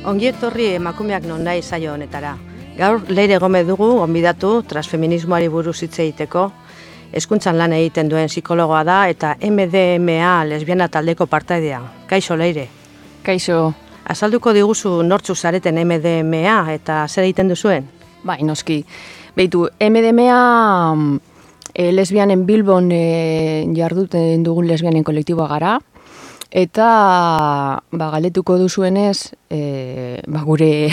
Ongi etorri emakumeak non nahi saio honetara. Gaur Leire Gomez dugu gonbidatu transfeminismoari buruz hitz egiteko. Hezkuntzan lan egiten duen psikologoa da eta MDMA lesbiana taldeko partaidea. Kaixo Leire. Kaixo. Azalduko diguzu nortzu zareten MDMA eta zer egiten duzuen? Bai, noski. Beitu, MDMA lesbianen Bilbon jarduten dugun lesbianen kolektiboa gara. Eta galetuko duzuenez, gure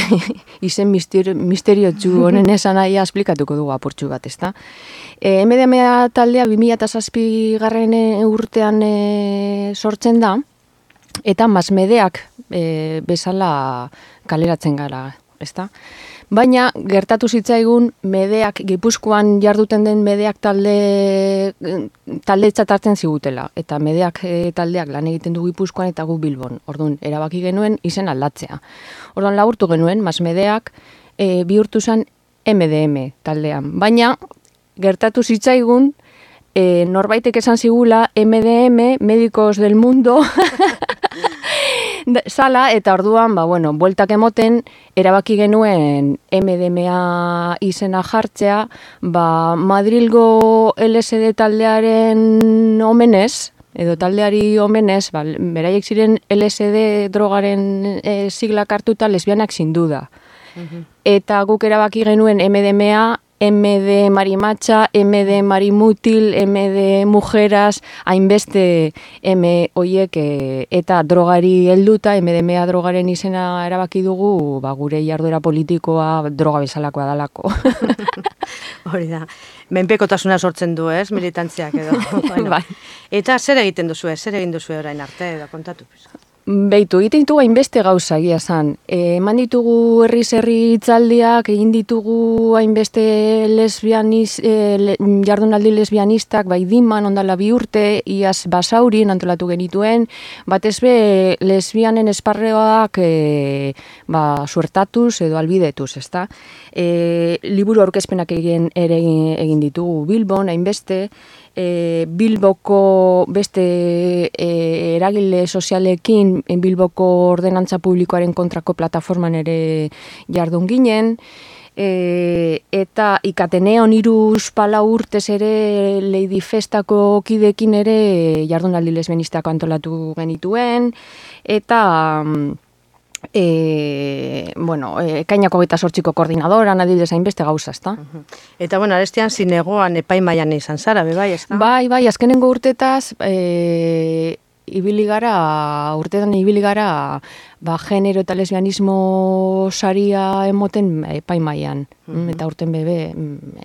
izen misteriotsu honen esan nahia esplikatuko dugu apurtxu bat, ezta? MDMA taldea 2007 garren urtean sortzen da, eta masmedeak bezala kaleratzen gara, ezta? Baina, gertatu zitzaigun, medeak, Gipuzkoan jarduten den medeak taldetzat hartzen zigutela. Eta medeak taldeak lan egiten du Gipuzkoan eta gu Bilbon. Orduan, erabaki genuen izen aldatzea. Orduan, laburtu genuen, masmedeak bihurtu zen MDM taldean. Baina, gertatu zitzaigun, norbaitek esan zigula MDM, Médicos del Mundo, sala, eta orduan, bueltak emoten, erabaki genuen MDMA izena jartzea, Madrilgo LSD taldearen omenez, edo taldeari omenez, beraiek ziren LSD drogaren siglak hartuta lesbianak zinduda. Eta guk erabaki genuen MDMA, MD marimatxa, MD marimutil, MD mujeras, hainbeste M oiek eta drogari helduta, MDMA drogaren izena erabaki dugu, gure jarduera politikoa droga bezalakoa dalako. Hori da. Menpekotasuna sortzen du, ez? Militantziak edo. Bai. Eta zer egiten duzu, zer egin duzu orain arte edo kontatu? Beitu, egiten ditugu hainbeste gauza egia zan. Eman ditugu herri hitzaldiak, egin ditugu hainbeste jardunaldi lesbianistak, Diman, ondala 2 urte, iaz Basaurien antolatu genituen, batez be lesbianen esparreoak suertatuz edo albidetuz, ezta? Liburu aurkezpenak egin ditugu Bilbon, hainbeste, Bilboko beste eragile sozialekin Bilboko ordenantza publikoaren kontrako plataforman ere jardun ginen, eta Ikateneon 3-4 urtez ere Lady Festako kidekin ere jardunaldi lesbianistako antolatu genituen, eta ekainako 28ko koordinadoran adibidez hainbeste gauza, ezta? Eta arestian zinegoan epaimaian izan zara, bai, ezta? Bai, azkenengo urtetaz urtetan ibili gara genero eta lesbianismo saria emoten epaimaian, eta urten bebe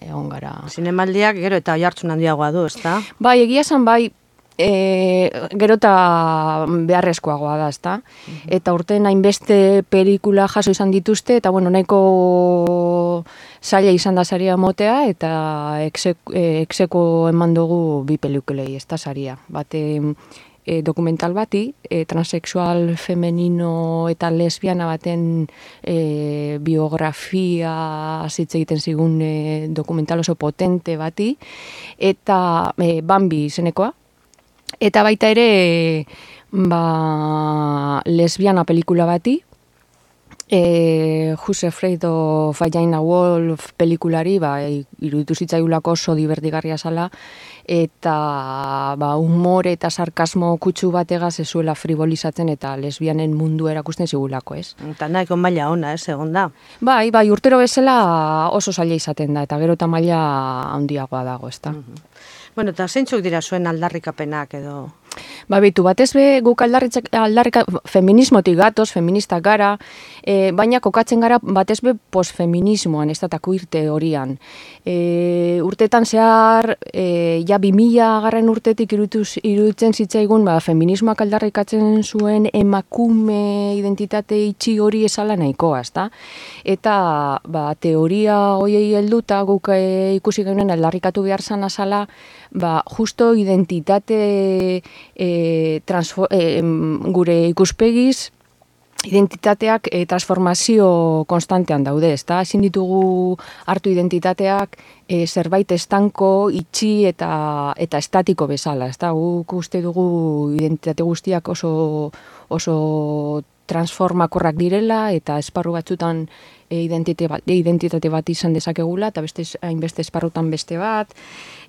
egon gara. Zinemaldiak gero eta oihartzun handiagoa du, ezta? Bai, egia esan bai, gero eta beharrezkoagoa da, ezta? Eta urten hainbeste pelikula jaso izan dituzte, eta nahiko zaila izan da saria motea, eta exeko eman dugu 2 pelikulei, ezta saria. Bate dokumental bati, transexual femenino eta lesbiana baten biografia hitz egiten zigun dokumental oso potente bati, eta Bambi izenekoa. Eta baita ere lesbiana pelikula bati, Who's Afraid of Virginia Woolf pelikulari, iruditu zitzaiulako oso divertigarria zala, eta humore eta sarkasmo kutsu bategaz ez zuela frivolizatzen eta lesbianen mundu erakusten zigulako, ez? Eta nahiko maila ona, ez, egon da? Bai, urtero bezala oso zaila izaten da, eta gero eta maila handiagoa dago, ez da? Eta zeintzuk dira zuen aldarrikapenak edo? Beitu, batez be guk feminismotik gatoz, feministak gara, baina kokatzen gara batez be postfeminismoan, ez da queer horian. Urtetan zehar, 2000 garren urtetik iruditzen zitzaigun, feminismoak aldarrikatzen zuen emakume identitate itxi hori esala nahikoa, ez da? Eta teoria horiei helduta guk ikusi genuen aldarrikatu behar zan azala, justo identitate gure ikuspegiz identitateak transformazio konstantean daude, ezta? Ezin ditugu hartu identitateak zerbait estanko, itxi eta estatiko bezala, ezta? Guk uste dugu identitate guztiak oso transformakorrak direla eta esparru batzutan identitate bat izan dezakegula eta hainbeste esparrutan beste bat.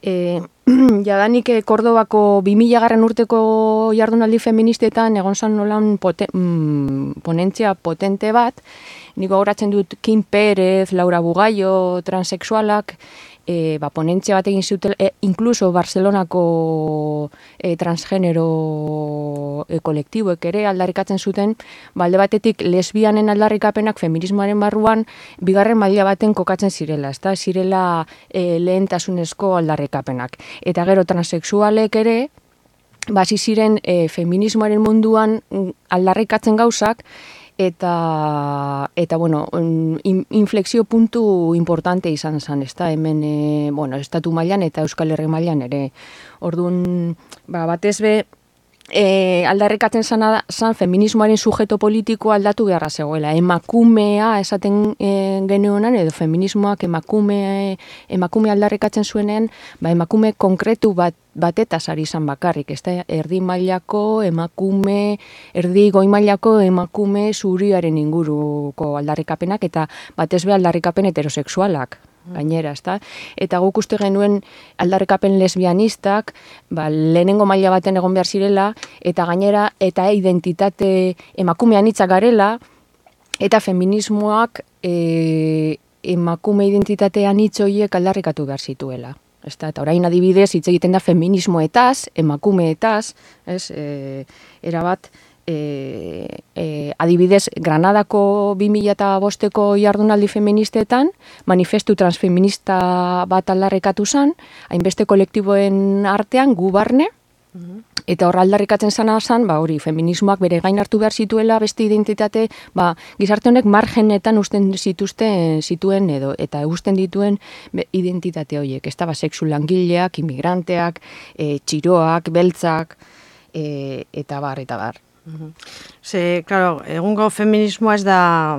Jadanik Kordobako 2000 urteko jardunaldi feministetan egon zan nolan ponentzia potente bat. Niko gogoratzen dut Kim Pérez, Laura Bugaio, transexualak, ponentzia bat egin zuten, inkluso Barcelonako transgenero kolektiboek ere aldarrikatzen zuten, alde batetik lesbianen aldarrikapenak feminismoaren barruan bigarren maila baten kokatzen zirela, ezta zirela lehentasunezko aldarrikapenak. Eta gero transexualek ere, hasi ziren feminismoaren munduan aldarrikatzen gauzak, eta bueno, inflexio puntu importante izan zen, ezta hemen, estatu mailan eta Euskal Herri mailan ere. Orduan, batez be, aldarrikatzen zan feminismoaren sujeto politikoa aldatu beharra zegoela. Emakumea esaten genuenan, edo feminismoak emakume aldarrikatzen zuenean, emakume konkretu batetaz ari izan bakarrik, ezta erdi mailako emakume, erdi goi mailako emakume zuriaren inguruko aldarrikapenak eta batez be aldarrikapen heterosexualak. Gainera, ezta? Eta guk uste genuen aldarrikapen lesbianistak, lehenengo maila baten egon behar zirela, eta gainera, eta identitate emakumean hitzak garela, eta feminismoak emakume identitatean hitz horiek aldarrikatu behar zituela. Eta orain adibidez, hitz egiten da feminismoetaz, emakumeetaz, erabat, adibidez, Granadako 2005ko jardunaldi feministetan, manifestu transfeminista bat aldarrikatu zen, hainbeste kolektiboen artean, gu barne, eta hor aldarrikatzen zana zen, hori, feminismoak bere gain hartu behar zituela, beste identitate, gizarte honek margenetan usten zituen edo, eta usten dituen identitate horiek, ez da, sexu langileak, inmigranteak, txiroak, beltzak, eta bar. Ze, claro, egungo feminismoa ez da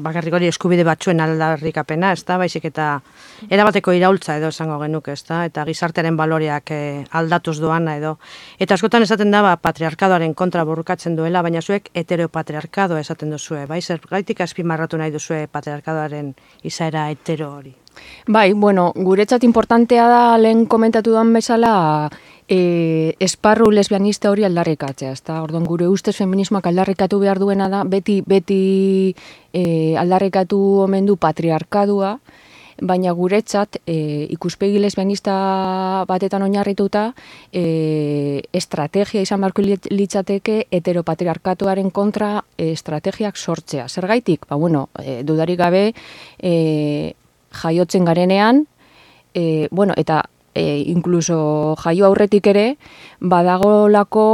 bakarrik hori eskubide batzuen aldarrikapena, ez da, baizik eta erabateko iraultza edo esango genuke, ez da, eta gizartearen baloreak aldatuz doana edo. Eta askotan esaten da, patriarkadoaren kontra borrokatzen duela, baina zuek heteropatriarkadoa esaten duzue, bai, zergaitik azpimarratu nahi duzue patriarkadoaren izaera hetero hori? Bai, bueno, guretzat importantea da lehen komentatu duan bezala esparru lesbianista hori aldarrikatzea, ezta? Orduan gure ustez feminismoak aldarrikatu behar duena da, beti aldarrikatu omen du patriarkadua, baina guretzat ikuspegi lesbianista batetan oinarrituta estrategia izan beharko litzateke heteropatriarkatuaren kontra estrategiak sortzea. Zergaitik? Dudarik gabe jaiotzen garenean, eta inkluso jaio aurretik ere, badagolako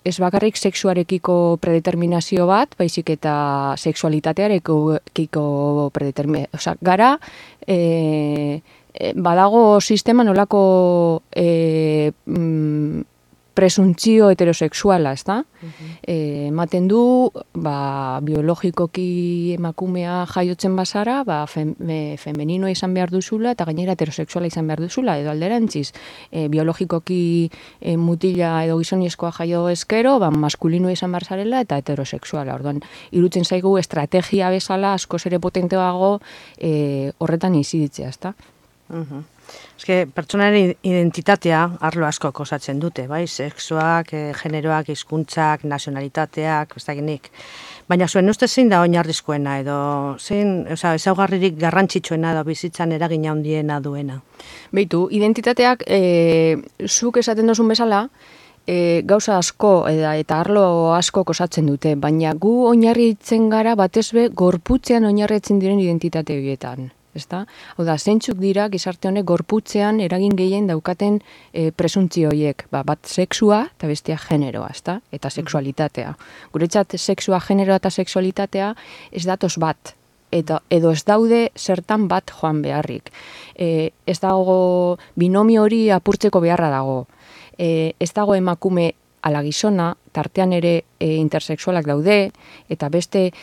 ez bakarrik sexuarekiko predeterminazio bat, baizik eta sexualitatearekiko predeterminazio. Gara, badago sistema nolako presuntzio heterosexuala, ez da? Ematen du, biologikoki emakumea jaiotzen bazara, femeninoa izan behar duzula, eta gainera heterosexuala izan behar duzula, edo alderantziz, biologikoki mutila edo gizonezkoa jaio ezkero, maskulinoa izan behar zarela, eta heterosexuala. Orduan, irutzen zaigu estrategia bezala askoz ere potenteago horretan iziditzea, ez da? Eske, pertsonaren identitatea arlo asko osatzen dute, bai? Sexuak, generoak, hizkuntzak, nazionalitateak, ez dakinik. Baina zuen uste zein da oinarrizkoena edo zein, ezaugarririk garrantzitsuena edo bizitzan eragina handiena duena? Beitu, identitateak, zuk esaten duzun bezala, gauza asko eta arlo asko osatzen dute, baina gu oinarritzen gara batez be gorputzean oinarritzen diren identitate horietan. Hau da, zeintzuk dira gizarte honek gorputzean eragin gehien daukaten presuntzio horiek, bat sexua eta bestea generoa, eta sexualitatea. Guretzat sexua, generoa eta sexualitatea ez datoz bat, edo ez daude zertan bat joan beharrik. Ez dago binomio hori apurtzeko beharra dago. Ez dago emakume ala gizona, tartean ere intersexualak daude, eta beste,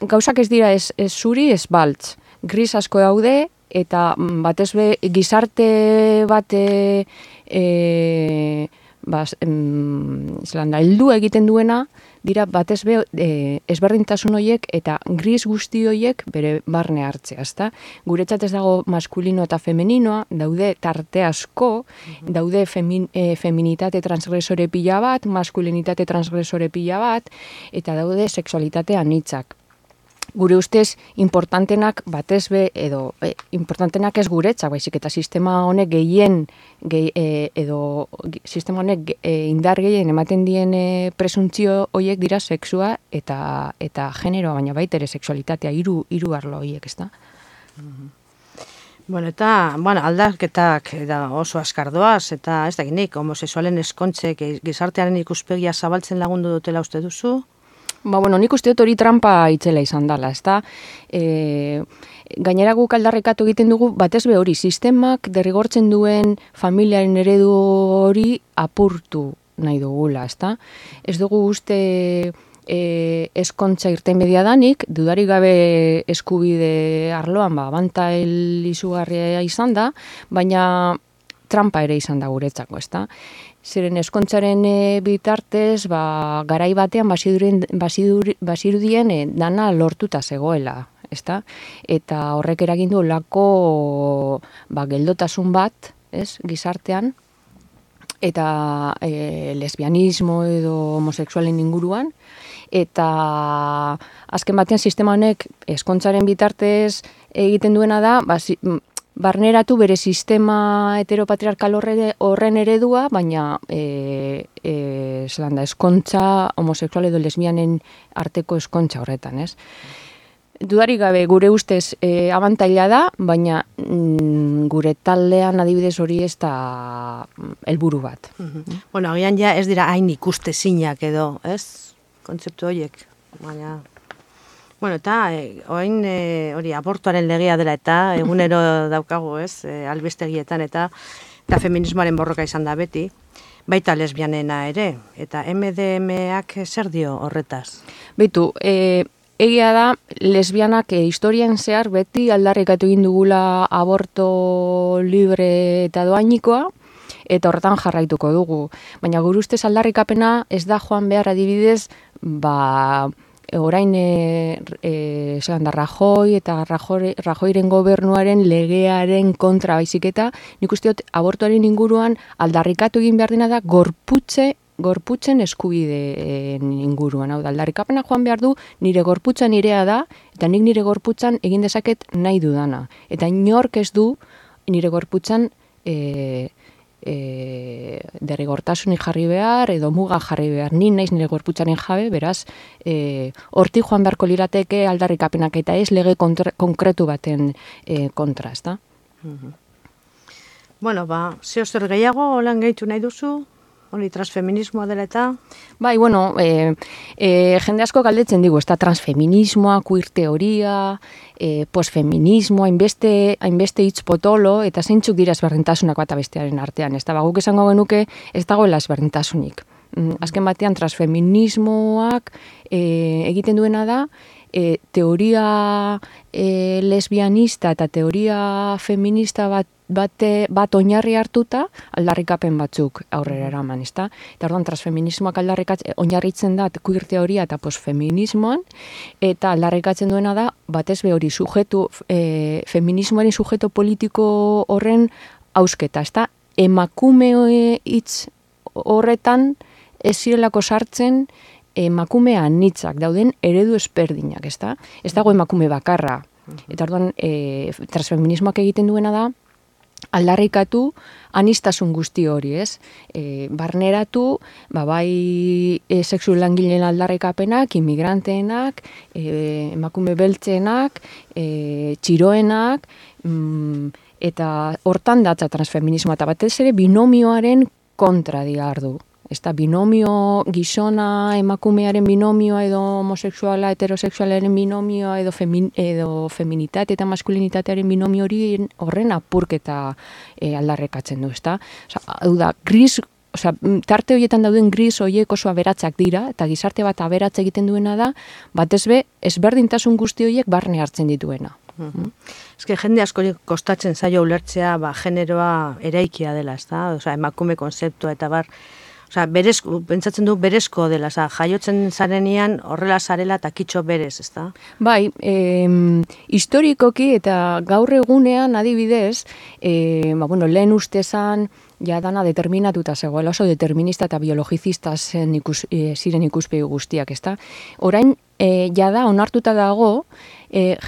gauzak ez dira ez zuri, ez baltz. Gris asko daude, eta batez be gizarte bat heldu egiten duena, dira batez be ezberdintasun horiek eta gris guzti horiek bere barne hartzea, ezta? Guretzat ez dago maskulino eta femeninoa, daude tarte asko, daude feminitate transgresore pila bat, maskulinitate transgresore pila bat, eta daude sexualitate anitzak. Gure ustez, importantenak batez be, edo importantenak ez guretzak, baizik eta sistema honek sistema honek indar gehien ematen dien presuntzio horiek dira sexua eta generoa, baina baita ere sexualitatea, hiru arlo horiek, ezta? Bueno, eta aldaketak oso askardoaz, eta ez dakinik, homosexualen eskontzek gizartearen ikuspegia zabaltzen lagundu dutela uste duzu? Nik uste dut hori trampa itzela izan dela, ezta? Gainera guk aldarrekatu egiten dugu, batez be hori, sistemak derrigortzen duen familiaren eredu hori apurtu nahi dugula, ezta? Ez dugu uste eskontza irtenbidea danik, dudarik gabe eskubide arloan, abantail izugarria izan da, baina trampa ere izan da guretzako, ezta? Zeren eskontzaren bitartez, garai batean bazirudien dana lortuta zegoela, ezta? Eta horrek eragin du olako geldotasun bat, ez, gizartean, eta lesbianismo edo homosexualen inguruan, eta azken batean sistema honek eskontzaren bitartez egiten duena da, barneratu bere sistema heteropatriarkal horren eredua, baina eskontza homosexual edo lesbianen arteko eskontza horretan, ez? Dudarik gabe gure ustez abantaila da, baina gure taldean adibidez hori ez da helburu bat. Bueno, agian ja ez dira hain ikustezinak edo, ez? Kontzeptu horiek, baina... Bueno, eta hori abortuaren legea dela eta egunero daukagu, ez, albistegietan eta feminismoaren borroka izan da beti, baita lesbianena ere, eta MDMak zer dio horretaz? Beitu, egia da, lesbianak historian zehar beti aldarrikatu egin dugula aborto libre eta doainikoa, eta horretan jarraituko dugu. Baina gure ustez aldarrikapena ez da joan behar adibidez, orain Rajoy eta Rajoyren gobernuaren legearen kontra baizik eta nik uste dut abortuaren inguruan aldarrikatu egin behar dena da gorputzen eskubideen inguruan. Hau da, aldarrikapena joan behar du nire gorputza nirea da eta nik nire gorputzan egin dezaket nahi dudana. Eta inork ez du nire gorputzan derrigortasunik jarri behar, edo muga jarri behar, ni naiz nire gorputzaren jabe, beraz, hortik joan beharko lirateke aldarrikapenak eta ez lege konkretu baten kontra, ezta? Bueno, zeo zer gehiago, holan gehitu nahi duzu? Hori transfeminismoa dela eta? Bai, bueno, jende asko galdetzen digu, ez da transfeminismoa, queer teoria, postfeminismoa, hainbeste hitz potolo, eta zeintzuk dira ezberdintasunak bat bestearen artean. Ez da, guk esango genuke ez dagoela ezberdintasunik. Azken batean transfeminismoak egiten duena da, teoria lesbianista eta teoria feminista bat oinarri hartuta aldarrikapen batzuk aurrera eraman, ezta? Eta orduan transfeminismoak oinarritzen da queer teoria eta postfeminismoan, eta aldarrikatzen duena da batez be hori feminismoaren sujeto politiko horren hausketa, ezta? Emakume hitz horretan ez zirelako sartzen emakume anitzak dauden eredu ezberdinak, ezta? Ez dago emakume bakarra. Eta orduan transfeminismoak egiten duena da aldarrikatu anistasun guzti hori, ez? Barneratu, bai sexu langileen aldarrikapenak, inmigranteenak, emakume beltzenak, txiroenak, eta hortan datza transfeminismoa, eta batez ere binomioaren kontra diardu. Ez da, binomio, gizona, emakumearen binomioa edo homosexuala, heterosexualaren binomioa edo feminitate eta maskulinitatearen binomio horren apurketa aldarrekatzen du, ez da? Hau da, tarte horietan dauden gris horiek oso aberatzak dira, eta gizarte bat aberatz egiten duena da, batez be, ezberdintasun guzti horiek barne hartzen dituena. Eske jende asko kostatzen zaio ulertzea generoa eraikia dela, ez da? Emakume konzeptua eta bar, Osea, pentsatzen du berezko dela, jaiotzen zarenean horrela zarela eta kitxo berez, ezta? Bai, historikoki eta gaur egunean adibidez, lehen ustezan, ja dana determinatuta zegoela, oso determinista eta biologizista ziren ikuspegi guztiak, ezta? Orain, jada onartuta dago,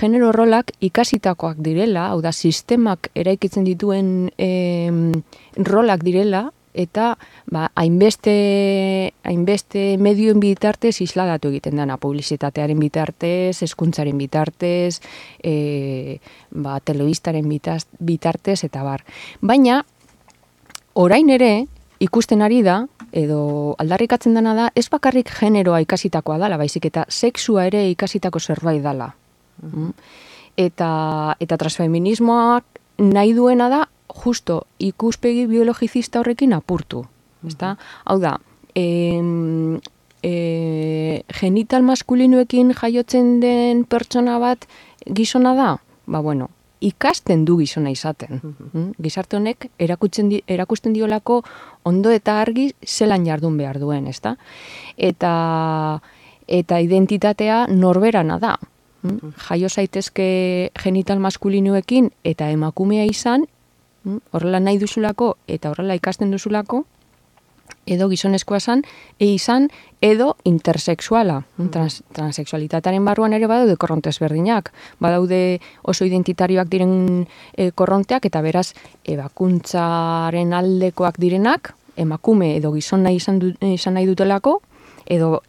genero rolak ikasitakoak direla, hau da, sistemak eraikitzen dituen rolak direla, eta hainbeste medioen bitartez isladatu egiten dena, publizitatearen bitartez, hezkuntzaren bitartez, telebistaren bitartez, eta bar. Baina, orain ere, ikusten ari da, edo aldarrikatzen dena da, ez bakarrik generoa ikasitakoa dala, baizik eta sexua ere ikasitako zerbait dala. Eta transfeminismoak nahi duena da, justo ikuspegi biologizista horrekin apurtu. Hau da, genital maskulinoekin jaiotzen den pertsona bat gizona da? Ikasten du gizona izaten. Gizarte honek erakusten diolako ondo eta argi zelan jardun behar duen, ezta? Eta identitatea norberana da. Jaio zaitezke genital maskulinoekin eta emakumea izan, horrela nahi duzulako eta horrela ikasten duzulako, edo gizonezkoa izan, edo intersexuala. Transexualitatearen barruan ere badaude korronte ezberdinak. Badaude oso identitarioak diren korronteak, eta beraz, ebakuntzaren aldekoak direnak, emakume edo gizona izan nahi dutelako, edo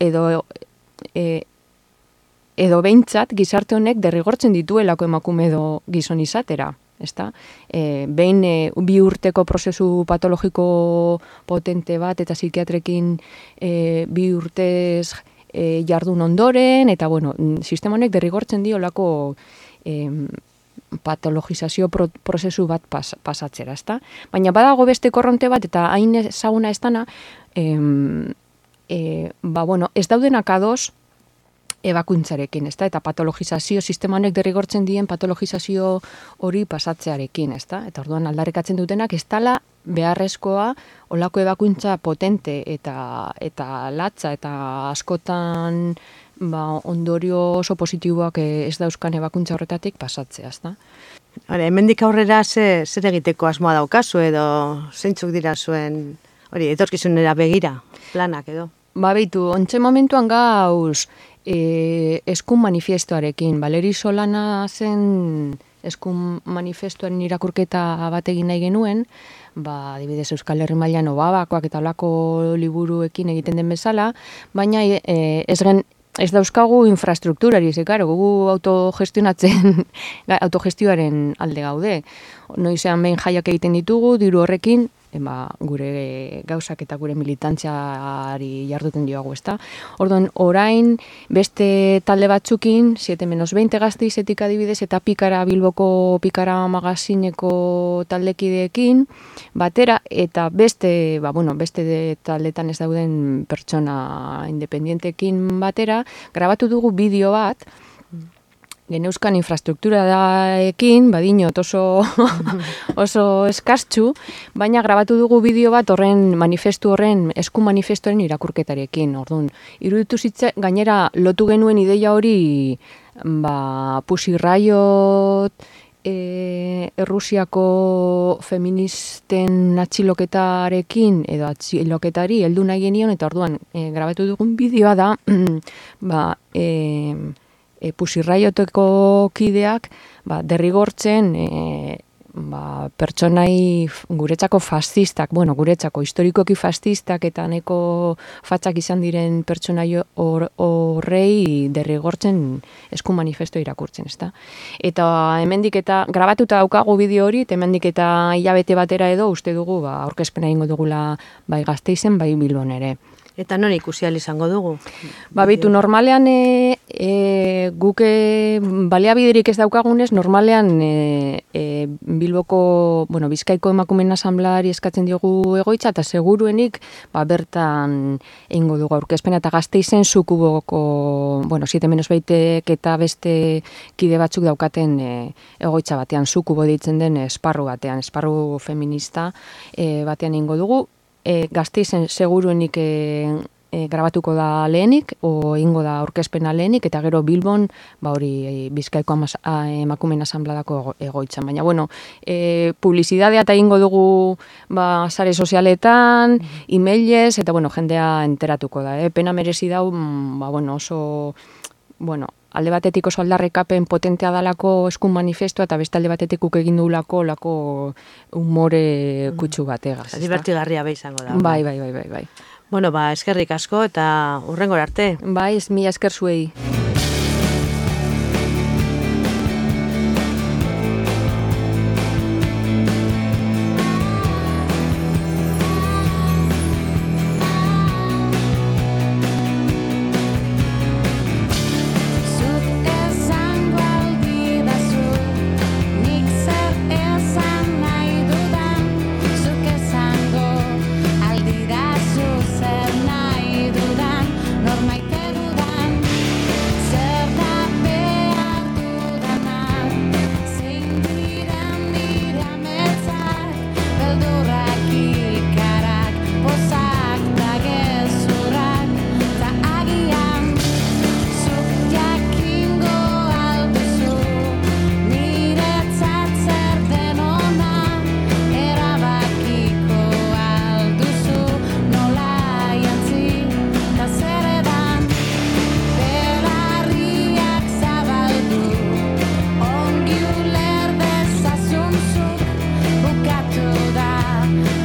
behintzat gizarte honek derrigortzen dituelako emakume edo gizon izatera. Behin bi urteko prozesu patologiko potente bat eta psikiatrekin bi urtez jardun ondoren, eta sistema honek derrigortzen diolako patologizazio prozesu bat pasatzera, ezta? Baina badago beste korronte bat, eta hain ezaguna ez dana, ez daudenak ados ebakuntzarekin, ezta? Eta patologizazio, sistema honek derrigortzen dien patologizazio hori pasatzearekin, ezta? Eta orduan aldarrikatzen dutenak, ez dala beharrezkoa olako ebakuntza potente eta latza, eta askotan ondorio oso positiboak ez dauzkan ebakuntza horretatik pasatzea, ezta? Hemendik aurrera zer egiteko asmoa daukazu, edo zeintzuk dira zuen, etorkizunera begira, planak edo? Beitu, ontxe momentuan gauz, eskun manifestoarekin. Valeri Solana zen eskun manifestoaren irakurketa bat egin nahi genuen, adibidez Euskal Herri mailan Obabakoak eta olako liburuekin egiten den bezala, baina ez dauzkagu infrastrukturari, gugu autogestioaren alde gaude. Noizean behin jaiak egiten ditugu, diru horrekin, gure gauzak eta gure militantziari jarduten diogu, ezta? Orduan, orain beste talde batzukin, 7-20 Gasteizetik adibidez, eta Bilboko Pikara magazineko taldekideekin batera, eta beste taldetan ez dauden pertsona independientekin batera, grabatu dugu bideo bat, geneuzkan infrastrukturaekin, badinot oso eskastxu, baina grabatu dugu bideo bat eskun manifestoaren irakurketarekin. Orduan, iruditu zitze, gainera lotu genuen ideia hori, Pussy Riot, Errusiako feministen atxiloketarekin, edo atxiloketari heldu nahi genion, eta orduan, grabatu dugun bideoa da, Pussy Rioteko kideak derrigortzen pertsonai guretzako fascistak, guretzako historikoki fascistak eta neko fatxak izan diren pertsonai horrei derrigortzen eskun manifesto irakurtzen, ezta? Eta hemendik eta grabatuta daukagu bideo hori, eta hemendik eta hilabete batera edo uste dugu aurkezpena egingo dugula bai Gasteizen, bai Bilbon ere. Eta non ikusi ahal izango dugu? Bitu, normalean guk baliabiderik ez daukagunez, normalean Bilboko, Bizkaiko emakumeen asanbladari eskatzen diogu egoitza, eta seguruenik bertan egingo dugu aurkezpena, eta Gasteizen Sukuboko, 7-20 eta beste kide batzuk daukaten egoitza batean, Sukubo ditzen den esparru batean, esparru feminista batean egingo dugu. Gasteizen seguruenik grabatuko da lehenik, egingo da aurkezpena lehenik, eta gero Bilbon, hori Bizkaiko emakumeen asanbladako egoitzan. Baina, bueno, publizidadea eta egingo dugu sare sozialetan, emailez, eta, bueno, jendea enteratuko da. Pena merezi dau, oso, alde batetik oso aldarrikapen potentea dalako eskun manifestua, eta beste alde batetik egin dugulako umore kutsu bategaz. Divertigarria izango da. Bai. Bueno, eskerrik asko eta hurrengora arte. Bai, mila esker zuei.